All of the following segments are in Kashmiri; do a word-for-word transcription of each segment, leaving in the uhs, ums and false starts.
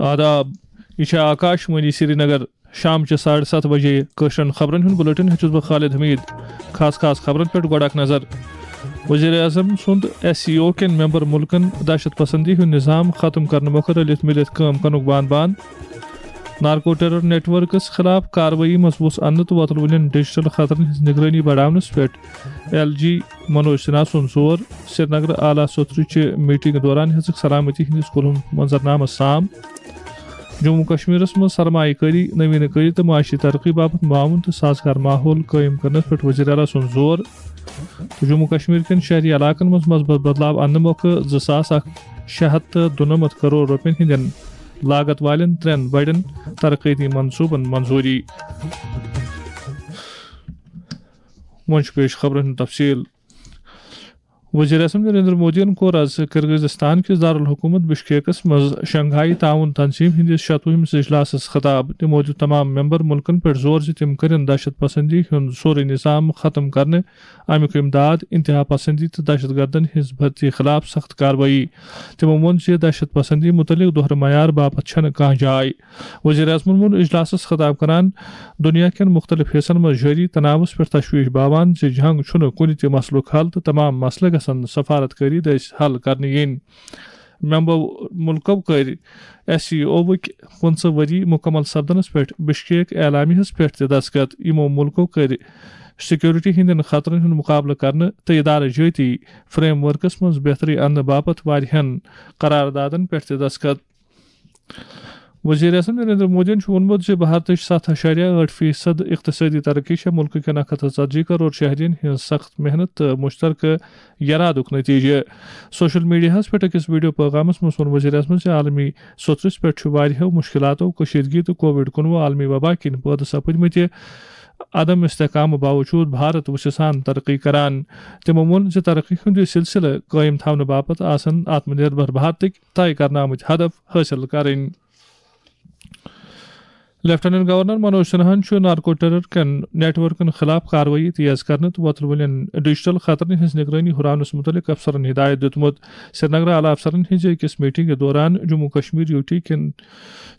آداب، یہِ چھےٚ آکاش وانی سرینگر۔ شام چہِ ساڑٕ ستھ بجے کٲشرٮ۪ن خبرن ہُنٛد بُلٹن ہیٚچھُس بہٕ خالد حمید۔ خاص خاص خبرن پٮ۪ٹھ گۄڈٕ اکھ نظر۔ وزیر اعظم سُنٛد ایس سی او کٮ۪ن ممبر مُلکن دہشت پسندی ہُنٛد نظام ختم کرنہٕ مۄکھٕ رٔلِتھ مِلِتھ کٲم کرنُک بان بان۔ نارکو ٹیرر نیٹ ورکس خلاف کاروٲیی منٛز وُژھ اننہٕ تہٕ وۄتلوٕنٮ۪ن ڈیجیٹل خطرن ہٕنٛز نگرٲنی بڑاونس پٮ۪ٹھ ایل جی منوج سنہا سُنٛد زور۔ سرینگر اعلیٰ سوترٕچہِ میٹنگ دوران ہیٚژٕکھ سلامتی ہٕنٛدِس کُلہُن منظرنامس سام۔ جموں کشمیرس منٛز سرمایہ کٲری، نوین کٲری تہٕ معاشی ترقی باپتھ معاون تہٕ سازگار ماحول قٲیِم کرنس پٮ۪ٹھ وزیر اعلیٰ سُنٛد زور۔ تہٕ جموں کشمیر کٮ۪ن شہری علاقن منٛز مثبت بدلاو اننہٕ مۄکھٕ زٕ ساس اکھ شےٚ ہتھ تہٕ دُنَمَتھ کرور رۄپین ہٕنٛدٮ۪ن لاگت والٮ۪ن ترٛٮ۪ن بڑٮ۪ن ترقیتی منصوبن منظوٗری۔ وۄنۍ چھُ پیش خبرن ہُنٛد تفصیل۔ وزیر اعظم نریندر مودیَن کوٚر آز کرغزستان کِس دارالحکومت بشکیکس منٛز شنگھائی تعاون تنظیم ہٕنٛدِس شتوُہمِس اجلاسس خطاب۔ تِمو دیُت تمام ممبر مُلکن پٮ۪ٹھ زور زِ تِم کٔرِن دہشت پسندی ہُنٛد سورُے نظام ختم کرنہٕ، امیُک امداد، انتہا پسندی تہٕ دہشت گردن ہٕنٛز بھرتی خلاف سخت کاروٲیی۔ تِمو ووٚن زِ دہشت پسندی مُتعلق دوہرٕ معیار باپتھ چھنہٕ کانٛہہ جاے۔ وزیر اعظمن ووٚن اجلاسس خطاب کران دنیا کٮ۪ن مختلف حصن منٛز جٲری تناوس پٮ۪ٹھ تشویش باوان زِ جنگ چھُنہٕ کُنہِ تہِ مسلُک حل تہٕ تمام مسلہٕ گژھن سفارت کٲری دٔسۍ حل کرنہٕ یِنۍ۔ ممبر مُلکو کٔرۍ ایس سی اوُک پٕنٛژٕہ ؤری مُکمل سپدنس پٮ۪ٹھ بشکیک اعلامیہس پٮ۪ٹھ تہِ دستخط۔ یِمو مُلکو کٔرۍ سیکورٹی ہٕنٛدٮ۪ن خطرن ہُنٛد مقابلہٕ کرنہٕ تہٕ ادارٕ جٲتی فریم ورکس منٛز بہتری اننہٕ باپتھ واریاہن قراردادن پٮ۪ٹھ تہِ دستخط۔ وزیر اعظم نریندر مودیَن چھُ ووٚنمُت زِ بھارتٕچ ستھ اعشاریہ ٲٹھ فیصد اقتصٲدی ترقی چھےٚ مُلکہٕ کٮ۪ن اکھ ہتھ تہٕ ژتجی کرور شہرین ہٕنٛز سخت محنت تہٕ مشترکہٕ یرادُک نتیجہٕ۔ سوشل میڈیاہَس پٮ۪ٹھ أکِس ویڈیو پیغامَس منٛز ووٚن وزیر اعظمَن زِ عالمی سوٚترِس پٮ۪ٹھ چھُ واریاہو مُشکِلاتو، کٔشیٖدگی تہٕ کووڈ کُنوُہ عالمی وبا کِنۍ پٲدٕ سپٕدمٕتہِ عدم استحکامہٕ باوجود بھارت وُژھِ سان ترقی کران۔ تِمو ووٚن زِ ترقی ہُنٛد یہِ سلسلہٕ قٲیِم تھاونہٕ باپتھ آسن آتم نربھر بھارتٕکۍ طے کرنہٕ آمٕتۍ ہدف حٲصِل کرٕنۍ۔ لیفٹیننٹ گورنر منوج سنہاہن چھُ نارکو ٹیرر کٮ۪ن نیٹ ورکن خلاف کاروٲیی تیز کرنہٕ تہٕ وۄتلوٕنٮ۪ن ڈیجیٹل خطرن ہٕنٛز نگرٲنی ہُراونس مُتعلق افسرن ہدایت دیُتمُت۔ سرینگر اعلیٰ افسرن ہٕنٛزِ أکِس میٹنگہِ دوران جموں کشمیر یوٗ ٹی کٮ۪ن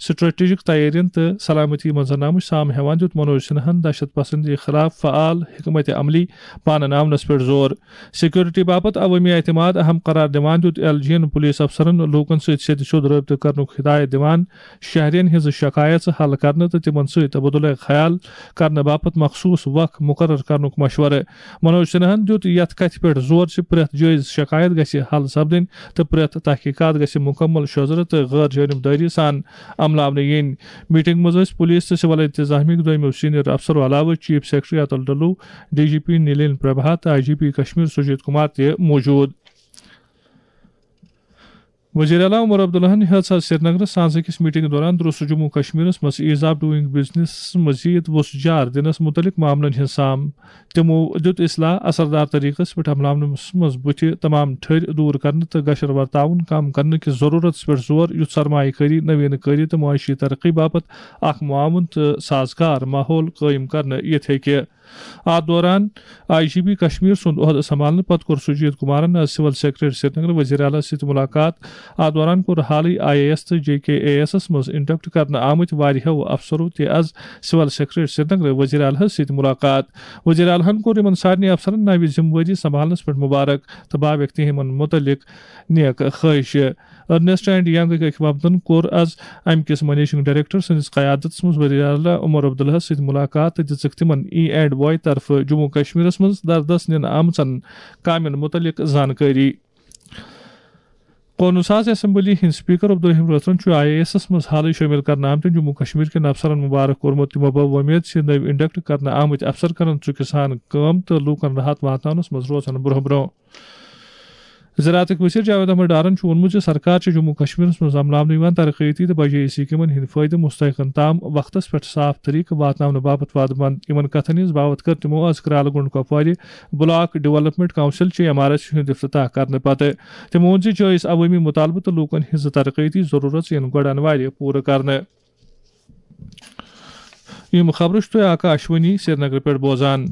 سٹریٹجک تیارین تہٕ سلامتی منظرنامٕچ سام ہیوان دیُت منوج سنہاہن دہشت پسندی خلاف فعال حکمت عملی پانہٕ ناونس پٮ۪ٹھ زور۔ سیکورٹی باپتھ عوٲمی اعتماد اہم قرار دِوان دیُت ایل جی ین پولیس افسرن لوٗکن سۭتۍ سیٚدِ سیوٚد رٲبطہٕ کرنُک ہدایت دِوان، شہرین ہٕنٛز شکایژٕ حل کرنہٕ تہٕ تِمن سۭتۍ تبادلہ خیال کرنہٕ باپتھ مخصوص وق مقرر کرنُک مشورٕ۔ منوج سنہاہن دیُت یتھ کتھِ پٮ۪ٹھ زور زِ پرٛٮ۪تھ جٲیز شکایت گژھِ حل سپدٕنۍ تہٕ پرٛٮ۪تھ تحقیقات گژھِ مکمل شوٚزرٕ تہٕ غٲر جانبدٲری سان عملاونہٕ یِنۍ۔ میٹنگ منٛز ٲسۍ پولیس تہٕ سول انتظامیہ کہِ دوٚیمٮ۪و سینئر افسرو علاوٕ chief secretary Atal Dulloo, D G P Nalin Prabha تہٕ I G P Kashmir Sujit Kumar تہِ موجود۔ وزیر اعلیٰ عمر عبداللہن ہیٚژ آز سرینگرس سانز أکِس میٹنگ دوران درست جموں کشمیرس منٛز ایز آف ڈوئنگ بزنس مزید وسعت جار دِنس مُتعلق معاملن ہٕنٛز سام۔ تِمو دیُت اصلاح اثردار طریقس پٮ۪ٹھ عملاونس منٛز بُتھِ تمام ٹھٔرۍ دوٗر کرنہٕ تہٕ گشر ورتاوُن کم کرنہٕ کِس ضروٗرتس پٮ۪ٹھ زور، یُتھ سرمایہ کٲری، نوین کٲری تہٕ معاشی ترقی باپتھ اکھ معاون تہٕ سازگار ماحول قٲیِم کرنہٕ یِتھ ہیٚکہِ۔ اتھ دوران آئی جی پی کشمیر سُنٛد عہدٕ سنبھالنہٕ پتہٕ کوٚر سجیت کمارن از سول سیکرٹریٹ سرینگر وزیر اعلیٰ سۭتۍ ملاقات۔ اتھ دوران کوٚر حالٕے آئی اے ایس تہٕ جے کے اے ایس منٛز انڈکٹ کرنہٕ آمٕتۍ واریاہو افسرو تہِ از سول سیکرٹریٹ سرینگر وزیر اعلیٰ سۭتۍ ملاقات۔ وزیر اعلیٰ ہن کوٚر یِمن سارنٕے افسرن نوِ ذمہٕ وٲری سنبھالنس پٮ۪ٹھ مبارک تہٕ باویکھ تِہنٛدِ مُتعلق نیک خواہش۔ ارنسٹ اینڈ ینگٕکۍ أکۍ وفدن کوٚر از امہِ کِس منیجنگ ڈائریکٹر سٕنٛدِس قیادتس منٛز وزیر اعلیٰ عمر عبداللہس سۭتۍ ملاقات تہٕ دِژٕکھ تِمن ای اینڈ واے طرفہٕ جموں کشمیرس منٛز دردس نِنہٕ آمژن کامٮ۪ن مُتعلق زانکٲری۔ قونوٗن ساز اسمبلی ہٕنٛدۍ اسپیکر عبدالرحیم رٲتھرَن چھُ آئی اے ایسَس منٛز حالٕے شٲمِل کرنہٕ آمتٮ۪ن جموں کشمیر کٮ۪ن افسرَن مبارک کوٚرمُت۔ تِمو بٲو وۄمید زِ نٔوۍ انڈکٹ کرنہٕ آمٕتۍ افسر کرن ژُکہِ سان کٲم تہٕ لوٗکَن راحت واتناونَس منٛز روزن برٛونٛہہ برٛونٛہہ۔ زراعتٕکۍ وزیر جاوید احمد ڈارن چھُ ووٚنمُت زِ سرکار چھِ جموں کشمیرس منٛز عملاونہٕ یِوان ترقیتی تہٕ بجٲیی سکیمن ہٕنٛدۍ فٲیدٕ مستحقن تام وقتس پٮ۪ٹھ صاف طریقہٕ واتناونہٕ باپتھ وعدٕ مند۔ یِمن کتھن ہٕنٛز باوتھ کٔر تِمو از کرالہٕ گونڈ کپوارِ بلاک ڈیولپمنٹ کونسل چہِ ایم آر ایس ہُنٛد افتتاح کرنہٕ پتہٕ۔ تِمو ووٚن زِ جٲیز عوٲمی مطالبہٕ تہٕ لوٗکن ہٕنٛز ترقیتی ضروٗرت یِن گۄڈٕ انوارِ پوٗرٕ کرنہٕ۔ یِم خبرٕ چھِ تُہۍ آکاش وانی سرینگرٕ پٮ۪ٹھ بوزان۔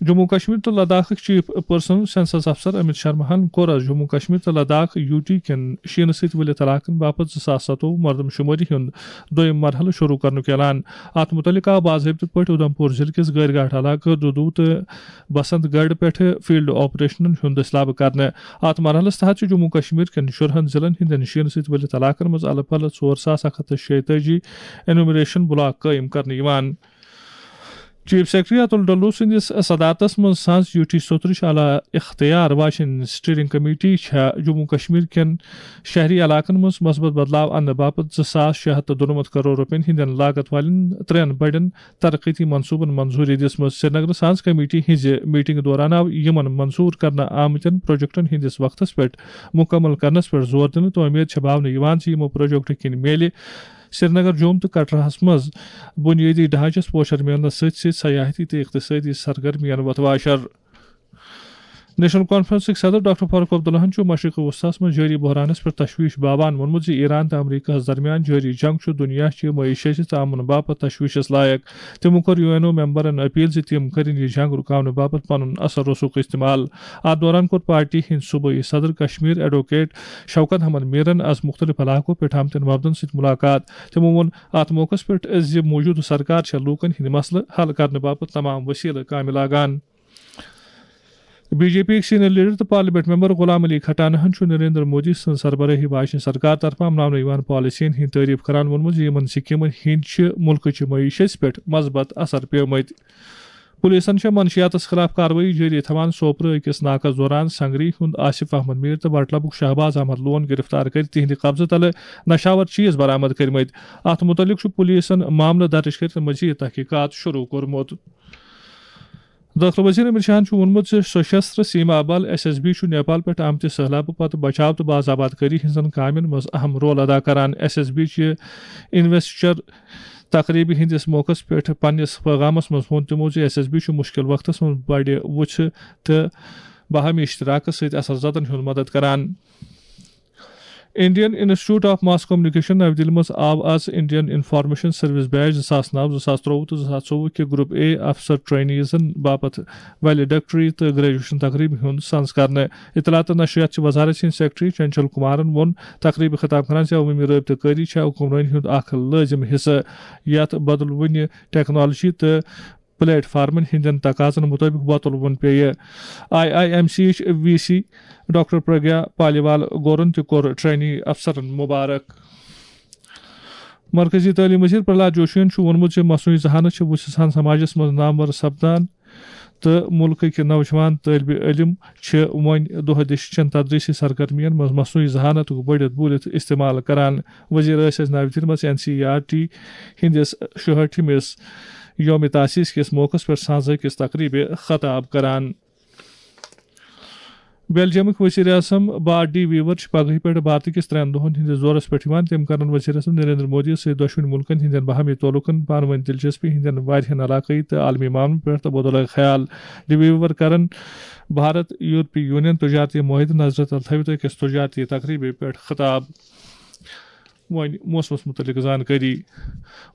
جموں کشمیر تہٕ لداخٕکۍ چیف پرسنل سینسس افسر امیت شرماہن کوٚر آز جموں کشمیر تہٕ لداخ یو ٹی کٮ۪ن شیٖنہٕ سۭتۍ ؤلِتھ علاقن باپتھ زٕ ساس ستووُہ مردم شمٲری ہُنٛد دوٚیِم مرحلہٕ شروع کرنُک اعلان۔ اتھ مُتعلق آو باضٲبطہٕ پٲٹھۍ اُدھمپور ضلعہٕ کِس گٲرۍ گھاٹ علاقہٕ دُدوٗ تہٕ بسنت گڑھ پٮ۪ٹھٕ فیلڈ آپریشنن ہُنٛد دٔسلابہٕ کرنہٕ۔ اتھ مرحلس تحت چھُ جموں کشمیر کٮ۪ن شُرہن ضلعن ہٕنٛدٮ۪ن شیٖنہٕ سۭتۍ ؤلِتھ علاقن منٛز الہٕ پلہٕ ژور ساس اکھ ہتھ تہٕ شیٚیہِ تٲجی انیومریشن بلاک قٲیِم کرنہٕ یِوان۔ چیف سیکرٹری اتُل ڈلو سٕنٛدِس صدارتس منٛز سانٛز یوٗٹھی سوٚترٕچ اعلیٰ اختیار واجیٚنۍ اسٹیئرنگ کمیٹی چھےٚ جموں کشمیر کٮ۪ن شہری علاقن منٛز مثبت بدلاو اننہٕ باپتھ زٕ ساس شےٚ ہتھ تہٕ دُنَمَتھ کرور رۄپین ہٕنٛدٮ۪ن لاگت والٮ۪ن ترٛٮ۪ن بڑٮ۪ن ترقیتی منصوٗبن منظوٗری دِژمٕژ۔ سرینگرٕ سانٛز کمیٹی ہٕنٛزِ میٹنگہِ دوران آو یِمن منظوٗر کرنہٕ آمتٮ۪ن پروجیکٹن ہٕنٛدِس وقتس پٮ۪ٹھ مُکمل کرنس پٮ۪ٹھ زور دِنہٕ تہٕ اُمید چھےٚ باونہٕ یِوان زِ یِمو پروجیکٹو کِنۍ میلہِ سرینگر، جوم تہٕ کٹرہس منٛز بنیٲدی ڈھانچس پوچھر میلنس سۭتۍ سۭتۍ سیاحتی تہٕ اقتصٲدی سرگرمیَن وۄتھ واشر۔ نیشنل کانفرنسٕکۍ صدر ڈاکٹر فاروق عبداللہَن چھُ مشرق وسطیٰ ہَس منٛز جٲری بحرانَس پٮ۪ٹھ تشویش باوان ووٚنمُت زِ ایران تہٕ امریکہَس درمیان جٲری جنگ چھُ دُنیا چہِ معیشتٕچ ژامُن باپتھ تشویشَس لایق۔ تِمو کوٚر یو این او ممبرَن اپیل زِ تِم کٔرِن یہِ جنگ رُکاونہٕ باپتھ پنُن اثر رسوخ استعمال۔ اتھ دوران کوٚر پارٹی ہٕنٛدۍ صوبٲئی صدر کشمیر ایڈووکیٹ شوکت احمد میرن از مختلف علاقو پٮ۪ٹھ آمتٮ۪ن وفدن سۭتۍ ملاقات۔ تِمو ووٚن اتھ موقعس پٮ۪ٹھ زِ موجودٕ سرکار چھےٚ لوٗکن ہٕنٛدۍ مسلہٕ حل کرنہٕ باپتھ تمام وسیلہٕ کامہِ لاگان۔ بی جے پی یِکۍ سینئر لیڈر تہٕ پارلیمنٹ ممبر غلام علی کھٹانہن چھُ نریندر مودی سٕنٛز سربرٲہی واجنہِ سرکار طرفہٕ اپناونہٕ یِوان پالیسین ہٕنٛز تعریف کران ووٚنمُت زِ یِمن سکیمن ہٕنٛدۍ چھِ مُلکٕچہِ معیشتس پٮ۪ٹھ مثبت اثر پیومٕتۍ۔ پولیسن چھےٚ منشیاتس خلاف کاروٲیی جٲری تھاوان۔ سوپرٕ أکِس ناکس دوران سنگری ہُنٛد آصف احمد میر تہٕ وٹلبُک شہباز احمد لون گرفتار کٔرِتھ تِہنٛدِ قبضہٕ تلہٕ نشاور چیز برآمد کٔرمٕتۍ۔ اتھ مُتعلق چھُ پولیسن معاملہٕ درٕج کٔرِتھ مزید تحقیقات شروع کوٚرمُت۔ دٲخلہٕ وزیر امت شاہن چھُ ووٚنمُت زِ سشستر سیما بل، ایس ایس بی، چھُ نیپال پٮ۪ٹھ آمتہِ سٔہلابہٕ پتہٕ بچاو تہٕ باز آباد کٲری ہٕنٛزن کامٮ۪ن منٛز اہم رول ادا کران۔ ایس ایس بی چہِ انویسٹر تقریبہِ ہٕنٛدِس موقعس پٮ۪ٹھ پننِس پیغامس منٛز ووٚن تِمو زِ ایس ایس بی چھُ مُشکِل وقتس منٛز بڑِ وُژھِ تہٕ باہمی اشتراکس سۭتۍ اثر زدن ہُنٛد مدد کران۔ Indian institute of mass communication نَوِ دِلہِ منٛز آو آز انڈین انفارمیشن سروس بیچ زٕ ساس نَو، زٕ ساس ترٛۆوُہ تہٕ زٕ ساس ژوٚوُہ کہِ گروپ اے افسر ٹرینیزن باپتھ ویلیڈکٹری تہٕ گریجویشن تقریبہِ ہُنٛد سنز کرنہٕ۔ اطلاعات تہٕ نشریات چہِ وزارت سٕنٛدۍ سیکرٹری چنچل کمارن ووٚن تقریبہِ خطاب کران زِ عوٲمی رٲبطہٕ کٲری چھےٚ حکمرٲنی ہُنٛد اکھ لٲزم حصہٕ، یتھ بدلوٕنہِ ٹیکنالوجی تہٕ پلیٹ فارمن ہٕنٛدٮ۪ن تقاضن مُطٲبِق وۄتلوُن پیٚیہِ۔ آئی آئی ایم سی یِچ V C doctor Pragya Paliwal گورن تہِ کوٚر ٹرینی افسرن مبارک۔ مرکزی تعلیم وزیر پرہلاد جوشین چھُ ووٚنمُت زِ مصنوعی ذہانت چھِ وُژھِ سان سماجس منٛز نامور سپدان تہٕ مُلکٕکۍ نوجوان طٲلبہِ علم چھِ وۄنۍ دۄہ دِشچٮ۪ن تدریسی سرگرمین منٛز مصنوعی ذہانتُک بٔڑِتھ بوٗلِتھ استعمال کران۔ وزیر ٲسۍ اَز نَوِ دِلہِ منٛز N C E R T ہٕنٛدِس شُہٲٹھمِس یوم تاسیس کِس موقعس پٮ۪ٹھ سانزٲکِس تقریبہِ خطاب کران۔ بیلجیمٕکۍ وزیر اعظم بارٹ ڈی ویور چھِ پگہٕے پٮ۪ٹھ بھارتہٕ کِس ترٛٮ۪ن دۄہن ہٕنٛدِس دورس پٮ۪ٹھ یِوان۔ تِم کرن وزیر اعظم نریندر مودی سۭتۍ دۄشوٕنی مُلکن ہٕنٛدٮ۪ن باہمی تعلقن، پانہٕ وٲنۍ دلچسپی ہٕنٛدٮ۪ن واریاہن علاقٲیی تہٕ عالمی معاملن پٮ۪ٹھ تبادلہ خیال۔ ڈی ویور کرن بھارت یورپی یونین تجارتی معاہدٕ نظرِ تل تھٲوِتھ أکِس تجارتی تقریبہِ پٮ۪ٹھ خطاب۔ وۄنۍ موسمس مُتعلق زانکٲری۔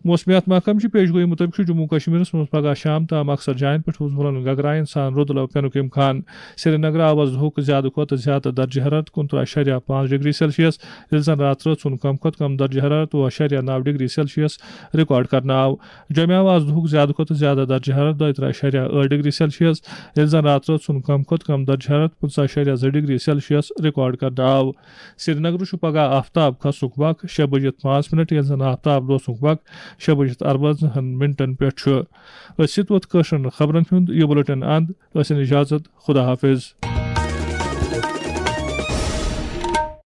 موسمیات محکمہٕ چہِ پیش گویی مُطٲبِق چھُ جموں کشمیرس منٛز پگہہ شام تام اکثر جاین پٮ۪ٹھ ہُس وُلن گگراین سان رُدٕ لو پینُک امکان۔ سرینگر آو آز دُہُک زیادٕ کھۄتہٕ زیادٕ درجہ حرارت کُنترٕہ اَشاریہ پانٛژھ ڈگری سیلسیس، ییٚلہِ زن راتہٕ رٲژ ہُنٛد کم کھۄتہٕ کم درجہ حرارت وُہ اَشاریہ نَو ڈگری سیلسیس ریکارڈ کرنہٕ آو۔ جوٚمہِ آو آز دُہُک زیادٕ کھۄتہٕ زیادٕ درجہ حرارت دۄیہِ ترٕہ اَشاریہ ٲٹھ ڈگری سیلسیس، ییٚلہِ زن راتہٕ رٲژ ہُنٛد کم کھۄتہٕ کم درجہ حرارت پٕنٛژٕہ اَشاریہ زٕ ڈگری سیلسیس ریکارڈ کرنہٕ آو۔ سرینگرٕ چھُ پگہہ آفتاب کھسنُک وق شےٚ بجِتھ پانٛژھ منٹ، ییٚلہِ زن آفتاب لوسنُک وق شےٚ بجِتھ اَربَزٕہَن منٹن پٮ۪ٹھ چھُ۔ أتھۍ سۭتۍ ووت کٲشرٮ۪ن خبرن ہُنٛد یہِ بُلٹن اند۔ ٲسِن اجازت، خدا حافظ۔